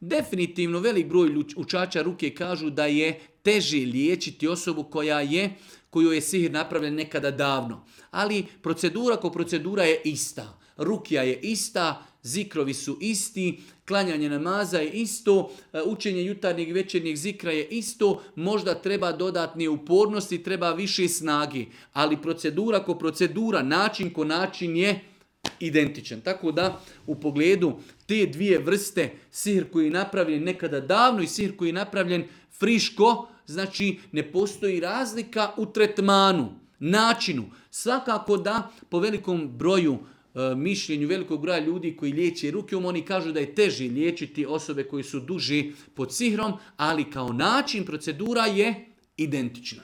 Definitivno velik broj učača ruke kažu da je teže liječiti osobu kojoj je sihir napravljen nekada davno. Ali procedura ko procedura je ista. Rukija je ista, zikrovi su isti, klanjanje namaza je isto, učenje jutarnjeg i večernjeg zikra je isto, možda treba dodatnije upornosti, treba više snagi. Ali procedura ko procedura, način ko način je identičan. Tako da u pogledu te dvije vrste, sihr koji je napravljen nekada davno i sihr koji je napravljen friško, znači ne postoji razlika u tretmanu, načinu. Svakako da po velikom broju mišljenju velikog broja ljudi koji liječe rukom, oni kažu da je teže liječiti osobe koji su duži pod sihrom, ali kao način procedura je identična.